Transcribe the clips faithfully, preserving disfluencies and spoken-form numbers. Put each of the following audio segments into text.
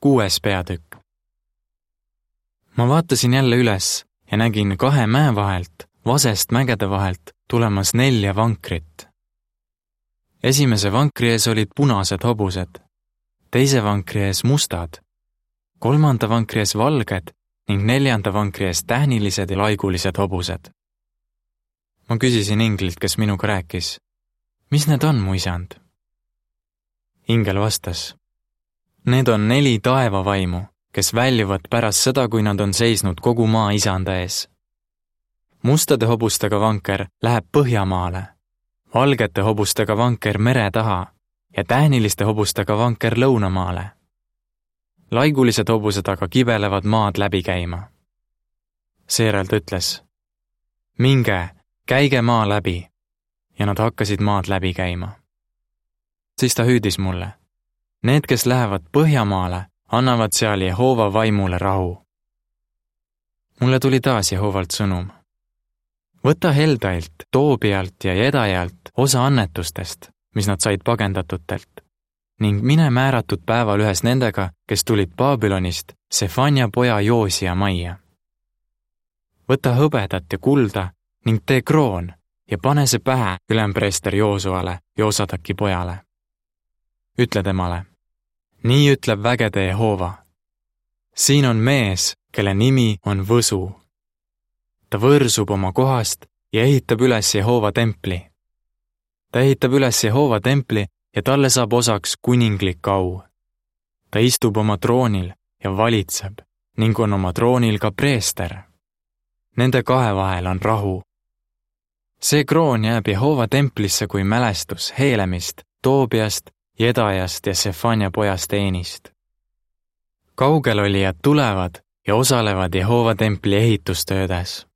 Kuues peatükk. Ma vaatasin jälle üles ja nägin kahe mäe vahelt, vasest mägede vahelt, tulemas nelja vankrit. Esimese vankri ees olid punased hobused, teise vankri ees mustad, kolmanda vankri ees valged ning neljanda vankri ees tähnilised ja laigulised hobused. Ma küsisin inglilt, kes minuga rääkis, mis need on, mu isand? Ingel vastas, need on neli taevavaimu, kes väljuvad pärast seda, kui nad on seisnud kogu maa isanda ees. Mustade hobustega vanker läheb Põhjamaale, valgete hobustega vanker mere taha ja tähniliste hobustega vanker Lõunamaale. Laigulised hobused aga kibelevad maad läbi käima. Seejärel ta ütles, minge, käige maa läbi, ja nad hakkasid maad läbi käima. Siis ta hüüdis mulle, need, kes lähevad Põhjamaale, annavad seal Jehova vaimule rahu. Mulle tuli taas Jehovalt sõnum. Võta Heldailt, Toobialt ja Jedajalt osa annetustest, mis nad said pagendatutelt, ning mine määratud päeval ühes nendega, kes tulid Babylonist Sefania poja Joosia majja. Võta hõbedat ja kulda ning tee kroon ja pane see pähe ülempreester Joosuale ja Osadaki pojale. Ütle temale, nii ütleb vägede Jehova. Siin on mees, kelle nimi on Võsu. Ta võrsub oma kohast ja ehitab üles Jehova templi. Ta ehitab üles Jehova templi ja talle saab osaks kuninglik au. Ta istub oma troonil ja valitseb ning on oma troonil ka preester. Nende kahe vahel on rahu. See kroon jääb Jehova templisse kui mälestus Heelemist, Toobiast, Jedajast ja Sefania pojast Eenist. Kaugelolijad tulevad ja osalevad Jehova templi ehitustöödes.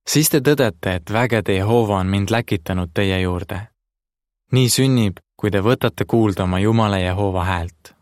Siis te tõdete, et vägede Jehova on mind läkitanud teie juurde. Nii sünnib, kui te võtate kuulda oma Jumala Jehova häält.